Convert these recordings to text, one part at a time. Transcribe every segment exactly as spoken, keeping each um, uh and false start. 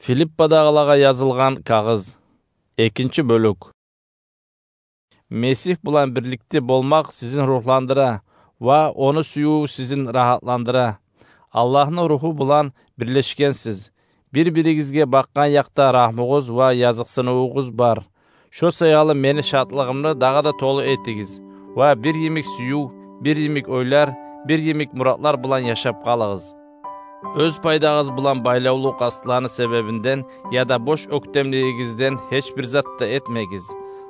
Филиппадагъылагъа язылгъан кагъыз. Экинчи бёлюк. Месигь булан бирликде болмакъ сизин ругьландыра ва ону сюювю сизин рагьатландыра. Аллагьны Ругьу булан бирлешгенсиз. Бир-биригизге бакъгъан якъда рагьмугъуз ва языкъсынывугъуз бар. Шо саялы мени шатлыгъымны дагъы да толу этигиз ва бир йимик сююв, бир йимик ойлар, бир йимик муратлар булан яшап къалыгъыз. Оьз пайдагъыз булан байлавлу къастланы себебинден яда бош оьктемлигигизден гьеч бир зат да этмегиз.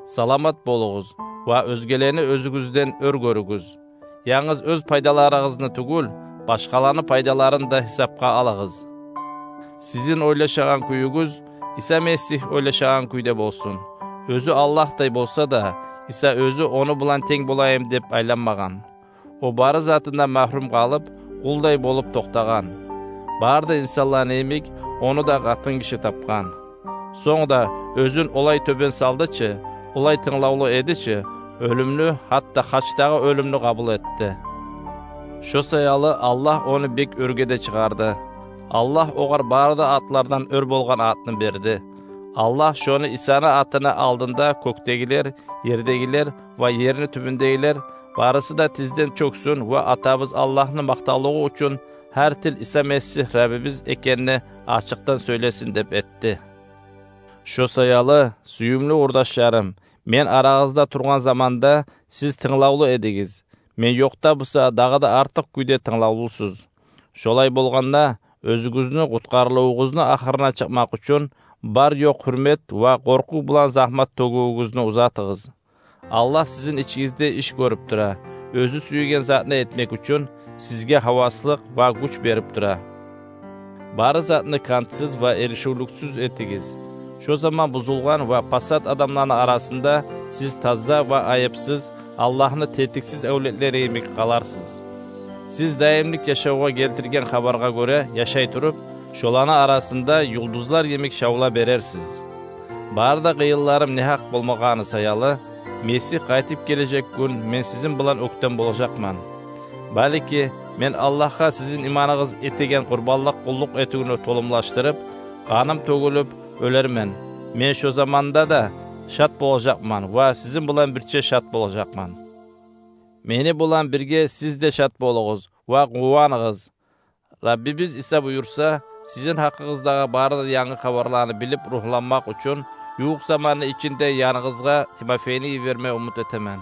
Саламат болугъуз ва оьзгелени оьзюгюзден оьр гёрюгюз. Янгыз оьз пайдаларыгъызны тюгюл, башгъаланы пайдаларын да гьисапгъа алыгъыз. Сизин ойлашагъан кююгюз Иса Месигь ойлашагъан кюйде болсун. Оьзю Аллагьдай болса да, Иса оьзю ону булан тенг болайым деп айланмагъан. О бары затындан магьрюм къалып, къулдай болуп токътагъан. Бары да инсанланы йимик, ону да къатын гиши тапгъан. Сонг да оьзюн олай тёбен салды чы, олай тынглавлу эди чы, оьлюмню, гьатта хачдагъы оьлюмню къабул этди. Шо саялы Аллагь ону бек оьрге де чыгъарды. Аллагь огъар бары да атлардан оьр болгъан атны берди. Аллагь шону Исаны атыны алдында кёкдегилер, ердегилер ва ерни тюбюндегилер барысы да тизден чёксюн ва Атабыз Аллагьны макътавлугъу учун гьар тил Иса Месигь Раббибиз экенни ачыкъдан сёйлесин деп этди. Шо саялы, сююмлю къурдашларым, мен арагъызда тургъан заманда сиз тынглавлу эдигиз. Мен ёкъда буса, дагъы да артыкъ кюйде тынглавлусуз. Шолай болгъанда, оьзюгюзню къутгъарылывугъузну ахырына чыкъмакъ учун бар-ёкъ гьюрмет ва къоркъув булан загьмат тёгювюгюзню узатыгъыз. Аллагь сизин ичигизде иш гёрюп тура. Оьзю сюеген затны этмек учун сизге гьаваслыкъ ва гюч берип тура. Бары затны кантсыз ва эришивлюксюз этигиз. Шо заман бузулгъан ва пасат адамланы арасында сиз таза ва айыпсыз, Аллагьны тетиксиз авлетлери йимик къаларсыз. Сиз даимлик яшавгъа гелтирген хабаргъа гёре яшай туруп, шоланы арасында юлдузлар йимик шавла берерсиз. Бары да къыйынларым негьакъ болмагъаны саялы, Месигь къайтып гележек гюн мен сизин булан оьктем болажакъман. Балики, мен Аллагьгъа сизин иманыгъыз этеген къурбанлыкъ къуллукъ этивню толумлашдырып, къаным тёгюлюп оьлермен. Мен шо заманда да шат болажакъман ва сизин булан бирче шат болажакъман. Мени булан бирге сиз де шат болугъуз ва къуваныгъыз. Раббибиз Иса буюрса, сизин гьакъыгъыздагъы бары да янгы хабарланы билип ругьланмакъ учун, ювукъ заманны ичинде яныгъызгъа Тимофейни йиберме умут этемен.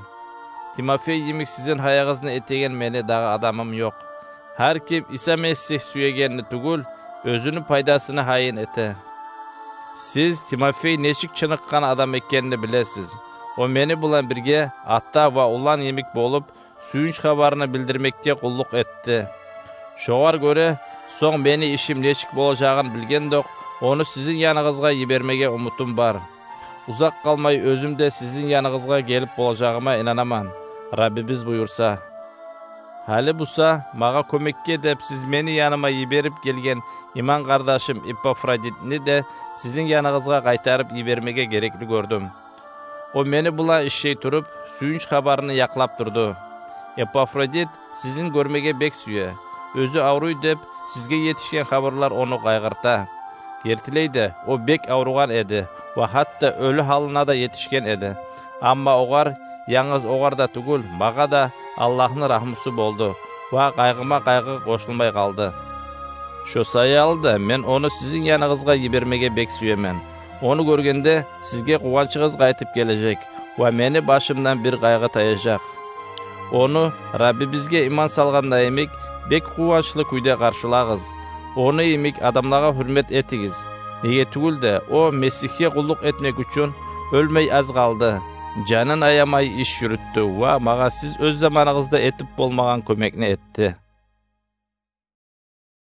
Тимофей йимик сизин гьайыгъызны этеген мени дагъы адамым ёкъ. Гьар ким Иса Месигь сюегенни тюгюл, оьзюню пайдасыны гьайын эте. Сиз Тимофей нечик чыныкъгъан адам экенни билесиз. О мени булан бирге ата ва улан йимик болуп, сююнч хабарны билдирмекге къуллукъ этди. Шогъар гёре, сонг мени ишим нечик болажагъын билгендокъ, ону сизин яныгъызгъа йибермеге умутум бар. Узакъ къалмай оьзюм де сизин яныгъызгъа гелип болажагъыма инанаман, Раббибиз буюрса. Гьали буса, магъа кёмекге деп сиз мени яныма йиберип гелген иман къардашым Эпафродитни де сизин яныгъызгъа къайтарып йибермеге герекли гёрдюм. О мени булан ишлей туруп, сююнч хабарны якълап турду. Эпафродит сизин гёрмеге бек сюе. Оьзю авруй деп, сизге етишген хабарлар ону къайгъырта. Гертилей де, о бек авругъан эди ва гьатта оьлю гьалына да етишген эди. Амма огъар, янгыз огъар да тюгюл, магъа да Аллагьны рагьмусу болду ва къайгъыма къайгъы къошулмай къалды. Шо саялы да мен ону сизин яныгъызгъа йибермеге бек сюемен. Ону гёргенде, сизге къуванчыгъыз къайтып гележек ва мени башымдан бир къайгъы таяжакъ. Ону, Раббибизге иман салгъанда йимик, бек къуванчлы кюйде къаршылагъыз. Ону йимик адамлагъа гьюрмет этигиз. Неге тюгюл де, о Месигьге къуллукъ этмек учун оьлмей аз къалды. Жанын аямай иш юрютдю ва магъа сиз оьз заманыгъызда этип болмагъан кёмекни этди.